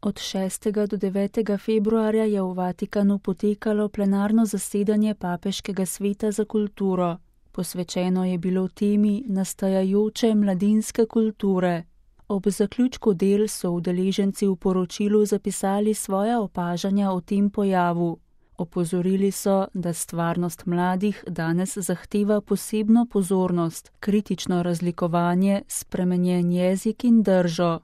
Od 6. do 9. februarja je v Vatikanu potekalo plenarno zasedanje Papeškega sveta za kulturo. Posvečeno je bilo temi nastajajoče mladinske kulture. Ob zaključku del so udeleženci v poročilu zapisali svoja opažanja o tem pojavu. Opozorili so, da stvarnost mladih danes zahteva posebno pozornost, kritično razlikovanje, spremenjen jezik in držo.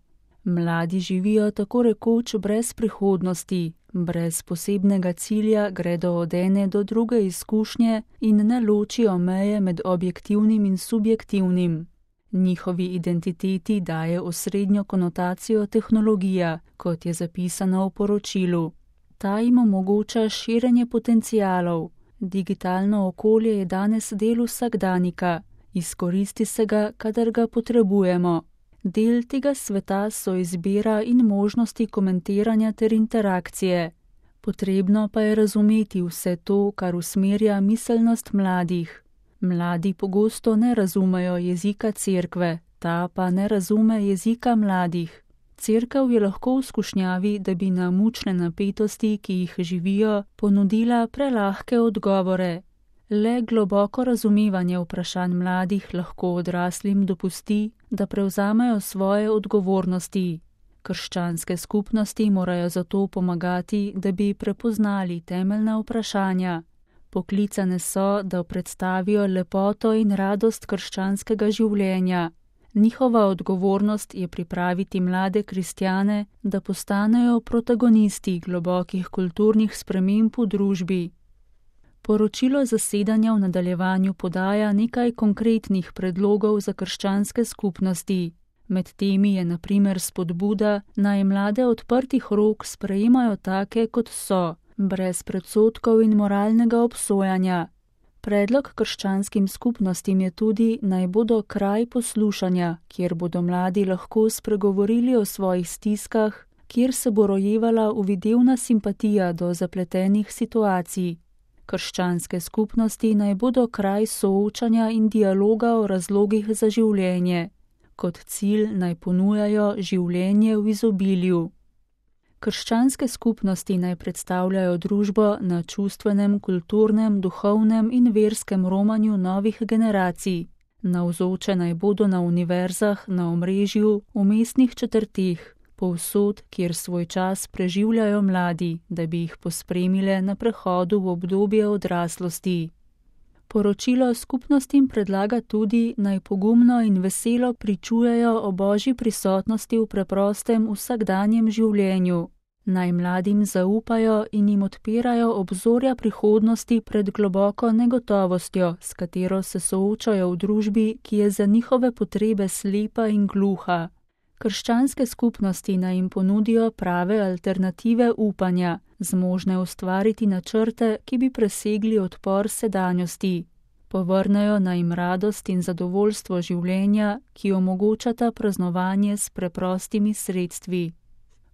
Mladi živijo tako rekoč brez prihodnosti, brez posebnega cilja gredo od ene do druge izkušnje in ne ločijo meje med objektivnim in subjektivnim. Njihovi identiteti daje osrednjo konotacijo tehnologija, kot je zapisano v poročilu. Ta jim omogoča širjenje potencialov. Digitalno okolje je danes del vsakdanika, izkoristi se ga, kadar ga potrebujemo. Del tega sveta so izbira in možnosti komentiranja ter interakcije. Potrebno pa je razumeti vse to, kar usmerja miselnost mladih. Mladi pogosto ne razumejo jezika cerkve, ta pa ne razume jezika mladih. Cerkev je lahko v skušnjavi, da bi na mučne napetosti, ki jih živijo, ponudila prelahke odgovore. Le globoko razumevanje vprašanj mladih lahko odraslim dopusti, da prevzamejo svoje odgovornosti. Krščanske skupnosti morajo zato pomagati, da bi prepoznali temeljna vprašanja. Poklicane so, da predstavijo lepoto in radost krščanskega življenja. Njihova odgovornost je pripraviti mlade kristjane, da postanejo protagonisti globokih kulturnih sprememb v družbi. Poročilo zasedanja v nadaljevanju podaja nekaj konkretnih predlogov za krščanske skupnosti. Med temi je na primer spodbuda, naj mlade odprtih rok sprejemajo take, kot so, brez predsodkov in moralnega obsojanja. Predlog krščanskim skupnostim je tudi, naj bodo kraj poslušanja, kjer bodo mladi lahko spregovorili o svojih stiskah, kjer se bo rojevala uvidevna simpatija do zapletenih situacij. Krščanske skupnosti naj bodo kraj soočanja in dialoga o razlogih za življenje. Kot cilj naj ponujajo življenje v izobilju. Krščanske skupnosti naj predstavljajo družbo na čustvenem, kulturnem, duhovnem in verskem romanju novih generacij. Navzoče naj bodo na univerzah, na omrežju, v mestnih četrteh, povsod, kjer svoj čas preživljajo mladi, da bi jih pospremile na prehodu v obdobje odraslosti. Poročilo skupnostim predlaga tudi, naj pogumno in veselo pričujejo o Božji prisotnosti v preprostem vsakdanjem življenju. Naj mladim zaupajo in jim odpirajo obzorja prihodnosti pred globoko negotovostjo, s katero se soočajo v družbi, ki je za njihove potrebe slepa in gluha. Krščanske skupnosti naj jim ponudijo prave alternative upanja, zmožne ustvariti načrte, ki bi presegli odpor sedanjosti. Povrnejo naj jim radost in zadovoljstvo življenja, ki omogočata praznovanje s preprostimi sredstvi.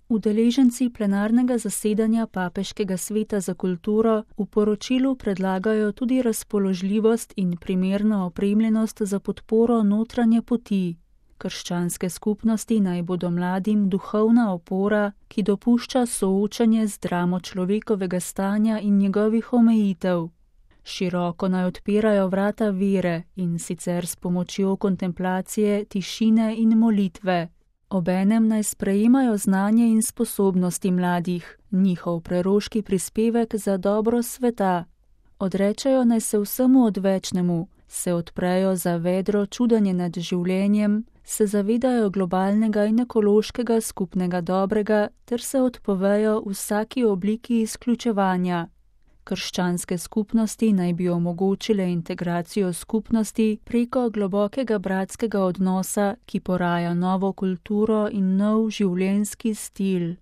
Udeleženci plenarnega zasedanja Papeškega sveta za kulturo v poročilu predlagajo tudi razpoložljivost in primerno opremljenost za podporo notranje poti. Krščanske skupnosti naj bodo mladim duhovna opora, ki dopušča soočanje z dramo človekovega stanja in njegovih omejitev. Široko naj odpirajo vrata vere, in sicer s pomočjo kontemplacije, tišine in molitve. Obenem naj sprejemajo znanje in sposobnosti mladih, njihov preroški prispevek za dobro sveta. Odrečejo naj se vsemu odvečnemu, se odprejo za vedro čudenje nad življenjem, se zavedajo globalnega in ekološkega skupnega dobrega ter se odpovejo vsaki obliki izključevanja. Krščanske skupnosti naj bi omogočile integracijo skupnosti preko globokega bratskega odnosa, ki poraja novo kulturo in nov življenjski stil.